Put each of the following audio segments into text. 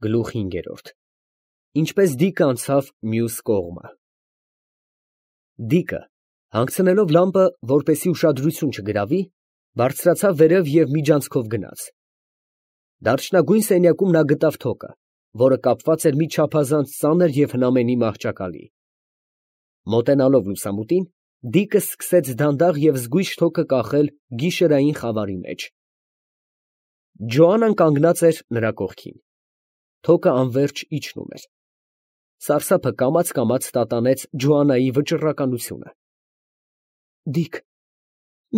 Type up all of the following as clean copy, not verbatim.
Գլուխ 5 Ինչպես դիկը անցավ մյուս կողմը։ Դիկը, հանգցնելով լամպը, որպեսի ուշադրություն չգրավի, բարձրացավ վերև և միջանցքով գնաց։ Դարչնագույն սենյակում նա գտավ թոկը, որը կապված էր մի չափազանց ծանր և հնամենի մահճակալի։ Մոտենալով լուսամուտին, դիկը սկսեց դանդաղ և զգույշ թոկը կախել գիշերային խավարի մեջ։ Ջոաննան կանգնած էր նրա կողքին։ Թոկը անվերջ իջնում էր։ Սարսափը կամաց տատանեց Ջոաննայի վճռականությունը։ Դիկ,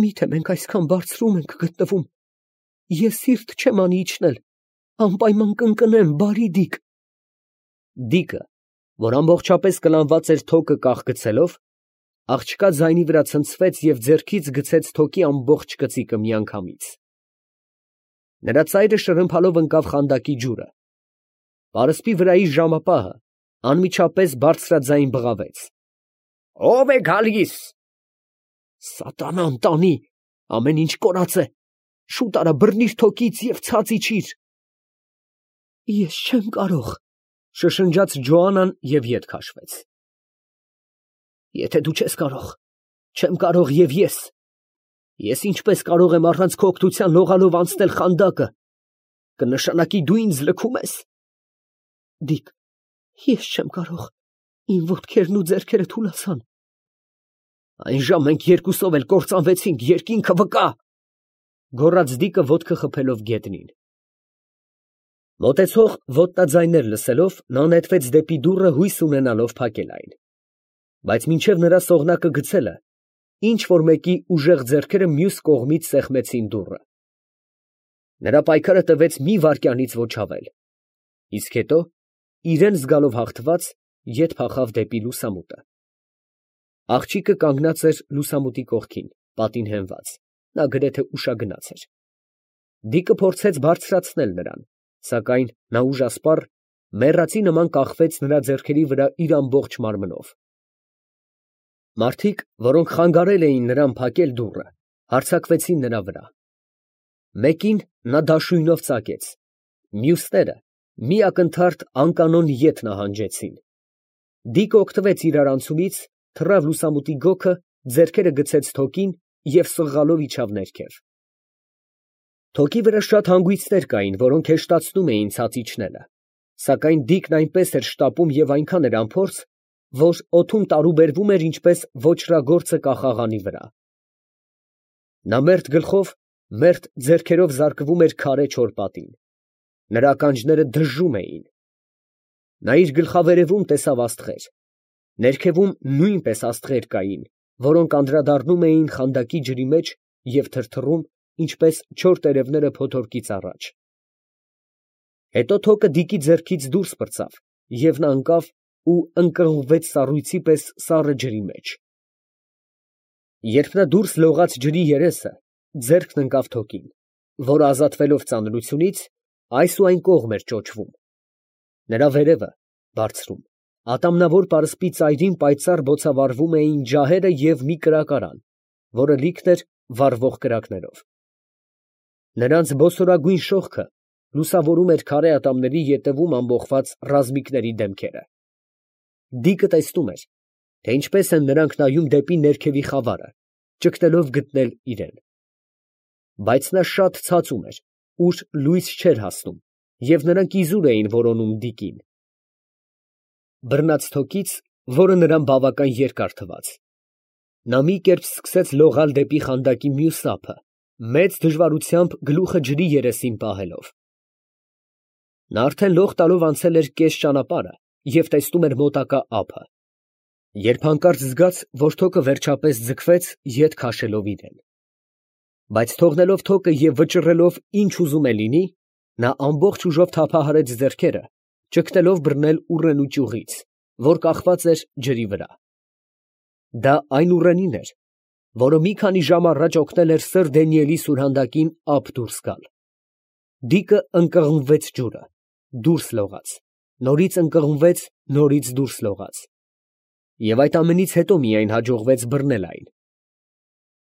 միթե մենք այսքան բարձրում ենք գտնվում, ես սիրտ չեմ անի իջնել, անպայման կընկնեմ, բարի դիկ։ Դիկը, որ ամբողջապես կլանված էր թոկը կախգցելով, աղջկա ձայնի վրա ցնցվեց և ձեռքից գցեց թոկի ամբողջ կծիկը միանգամից։ Նրա ծայրը շրմփալով ընկավ խանդակի ջուրը։ Պարսպի վրայի ժամապահը անմիջապես բարձրաձայն բղավեց. «Ո՞վ է գալիս»։ Սատանան տանի, ամեն ինչ կորած է, շուտ արա բռնիր թոկից և ցած իջիր։ Ես չեմ կարող, շշնջաց Ջոաննան և ետ քաշվեց։ Եթե դու չես կարող, չեմ կարող և ես։ Ես ինչպես կարող եմ առանց քո օգնության լողալով անցնել խանդակը, կնշանակի դու ինձ լքում ես։ Դիկ, ես չեմ կարող, իմ ոտքերն ու ձեռքերը թուլացան։ Այն ժամ մենք երկուսով էլ կործանվեցինք, երկինքը վկա, գոռաց դիկը ոտքը խփելով գետնին։ Մոտեցող ոտնաձայներ լսելով, նա նետվեց դեպի դուռը հույս ունենալով փակել այն։ Բայց մինչև նրա սողնակը գցելը, ինչ որ մեկի ուժեղ ձեռքերը մյուս կողմից սեղմեցին դուռը։ Նրա պայքարը տևեց մի վայրկյանից ոչ ավել, իսկ հետո, իրան զգալով հաղթված, ետ փախավ դեպի լուսամուտը։ Աղջիկը կանգնած էր լուսամուտի կողքին, պատին հենված, նա գրեթե ուշագնաց էր։ Դիկը փորձեց բարձրացնել նրան, սակայն նա ուժասպառ, մեռածի նման կախվեց նրա ձեռքերի վրա իր ամբողջ մարմնով։ Մարդիկ, որոնք խանգարել էին նրան փակել դուռը, հարձակվեցին նրա վրա։ Մեկին նա դաշույնով ծակեց, մյուսները մի ակնթարթ անկանոն ետ նահանջեցին։ Դիկը օգտվեց իրարանցումից, թռավ լուսամուտի գոգը, ձեռքերը գցեց թոկին և սղալով իջավ ներքև։ Թոկի վրա շատ հանգույցներ կային, որոնք հեշտացնում էին ցած իջնելը, սակայն դիկն այնպես էր շտապում և այնքան էր անփորձ, որ օդում տարուբերվում էր ինչպես ոճրագործը կախաղանի վրա։ Նա մերթ գլխով, մերթ ձեռքերով զարկվում էր քարե չոր պատին։ Նրա ականջները դժում էին։ Նա իր գլխավերևում տեսավ աստղեր։ Ներքևում նույնպես աստղեր կային, որոնք անդրադառնում էին խանդակի ջրի մեջ և թրթռում, ինչպես չոր տերևները փոթորկից առաջ։ Հետո թոկը դիկի ձեռքից դուրս պրծավ, և նա ընկավ ու ընկղմվեց սառույցի պես սառը ջրի մեջ։ Երբ նա դուրս լողաց ջրի երեսը, ձեռքն ընկավ թոկին, որը ազատվելով ծանրությունից, այս ու այն կողմ էր ճոճվում։ Նրա վերևը, բարձրում, ատամնավոր պարսպի ծայրին պայծառ բոցավառվում էին ջահերը և մի կրակարան, որը լիքն էր վառվող կրակներով։ Նրանց բոսորագույն շողքը լուսավորում էր քարե ատամների ետևում ամբոխված ռազմիկների դեմքերը։ Դիկը տեսնում էր, թե ինչպես են նրանք նայում դեպի ներքևի խավարը, ճգնելով գտնել իրան։ Բայց նա շատ ցածում էր, ուր լույս չէր հասնում, և նրանք իզուր էին որոնում դիկին։ Բռնած թոկից, որը նրան բավական երկար թվաց, նա մի կերպ սկսեց լողալ դեպի խանդակի մյուս ափը, մեծ դժվարությամբ գլուխը ջրի երեսին պահելով։ Նա արդեն լող տալով անցել էր կես ճանապարհը և տեսնում էր մոտակա ափը, երբ հանկարծ զգաց, որ թոկը վերջապես ձգվեց, ետ քաշելով իրան։ Բայց թողնելով թոկը և վճռելով ինչ ուզում է լինի, նա ամբողջ ուժով թափահարեց ձեռքերը, ճգնելով բռնել ուռենու ճյուղից, որ կախված էր ջրի վրա։ Դա այն ուռենին էր, որը մի քանի ժամ առաջ օգնել էր սըր Դանիելի սուրհանդակին ափ դուրս գալ։ Դիկը ընկղմվեց ջուրը, դուրս լողաց, նորից ընկղմվեց, նորից դուրս լողաց։ Եվ այդ ամենից հետո միայն հաջողվեց բռնել այն։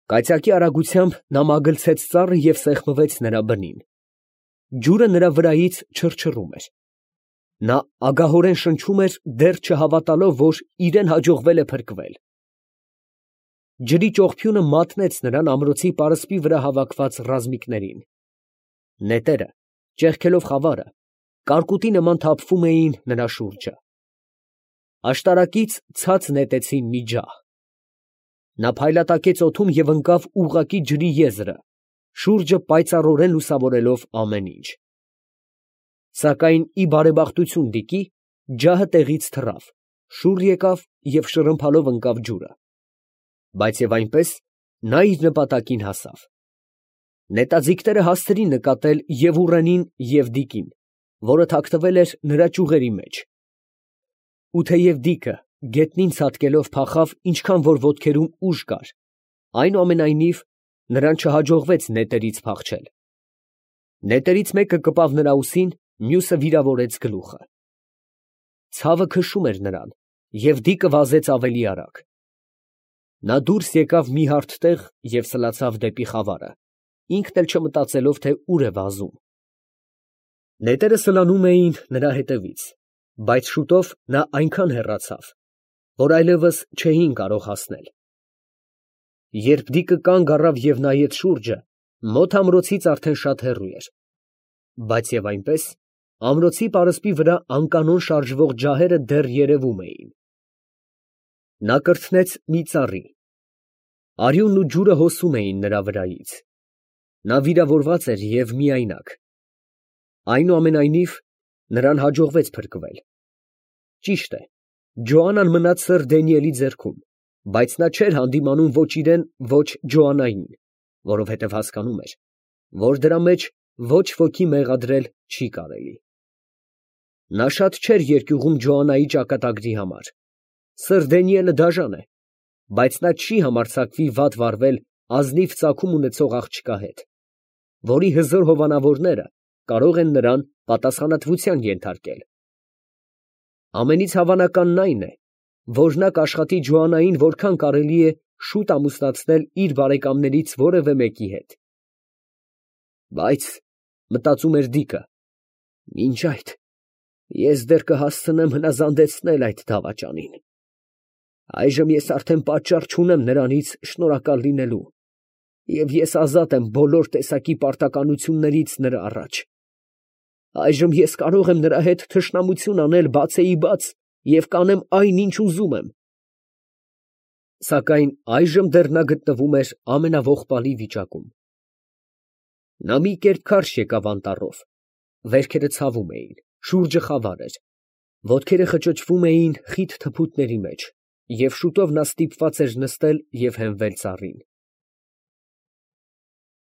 Կայծակի արագությամբ նա մագլցեց ծառը և սեղմվեց նրա բնին։ Ջուրը նրա վրայից չռչռում էր։ Նա ագահորեն շնչում էր, դեռ չհավատալով, որ իրան հաջողվել է փրկվել։ Ջրի ճողփյունը մատնեց նրան ամրոցի պարսպի վրա հավաքված ռազմիկներին։ Նետերը, ճեղքելով խավարը, կարկուտի նման թափվում էին նրա շուրջը։ Աշտարակից ցած նետեցին մի ջահ։ Նա փայլատակեց օդում և ընկավ ուղղակի ջրի եզրը, շուրջը պայծառորեն լուսավորելով ամեն ինչ։ Սակայն ի բարեբախտություն Դիկի, ջահը տեղից թռավ, շուռ եկավ և շրմփալով ընկավ ջուրը։ Բայց և այնպես նա իր նպատակին հասավ։ Նետաձիգները հասցրին նկատել և ուռենին, և Դիկին, որը թաքնվել էր նրա ճյուղերի մեջ։ Ու թեև Դիկը գետնին ցատկելով փախավ ինչքան որ ոտքերում ուժ կար, այնուամենայնիվ նրան չհաջողվեց նետերից փախչել։ Նետերից մեկը կպավ նրա ուսին, մյուսը վիրավորեց գլուխը։ Ցավը քշում էր նրան, և Դիկը վազեց ավելի արագ։ Նա դուրս եկավ մի հարթ տեղ և սլացավ դեպի խավարը, ինքն էլ չմտածելով, թե ուր է վազում։ Նետերը սլանում էին նրա հետևից, բայց շուտով նա այնքան հեռացավ, որ այլևս չէին կարող հասնել։ Երբ Դիկը կանգ առավ և նայեց շուրջը, մոտ ամրոցից արդեն շատ հեռու էր, բայց և այնպես ամրոցի պարսպի վրա անկանոն շարժվող ջահերը դեռ երևում էին։ Նա կրթնեց մի ծառի։ Արյունն ու ջուրը հոսում էին նրա վրայից։ Նա վիրավորված էր և միայնակ։ Այնուամենայնիվ նրան հաջողվեց փրկվել։ Ճիշտ է, Ջոանան մնաց սըր Դանիելի ձեռքում, բայց նա չէր հանդիմանում ոչ իրան, ոչ Ջոաննային, որովհետև հասկանում էր, որ դրա մեջ ոչ ոքի մեղադրել չի կարելի։ Նա շատ չէր երկյուղում Ջոաննայի ճակատագրի համար։ Սըր Դանիելը դաժան է, բայց նա չի համարձակվի վատ վարվել ազնիվ ծագում ունեցող աղջկա հետ, որի հզոր հովանավորները կարող են նրան պատասխանատվության ենթարկել։ Ամենից հավանականն այն է, որ նա կաշխատի Ջոաննային որքան կարելի է շուտ ամուսնացնել իր բարեկամներից որևէ մեկի հետ։ Բայց, մտածում էր Դիկը, մինչ այդ ես դեռ կհասցնեմ հնազանդեցնել այդ դավաճանին։ Այժմ ես արդեն պատճառ չունեմ նրանից շնորհակալ լինելու, և ես ազատ եմ բոլոր տեսակի պարտականություններից նրա առաջ։ Այժմ ես կարող եմ նրա հետ թշնամություն անել բացեիբաց և կանեմ այն, ինչ ուզում եմ։ Սակայն այժմ դեռ նա գտնվում էր ամենաողբալի վիճակում։ Նա մի կերպ քարշ եկավ անտառով, վերքերը ցավում էին, շուրջը խավար էր, ոտքերը խճճվում էին խիտ թփուտների մեջ, և շուտով նա ստիպված էր նստել և հենվել ծառին։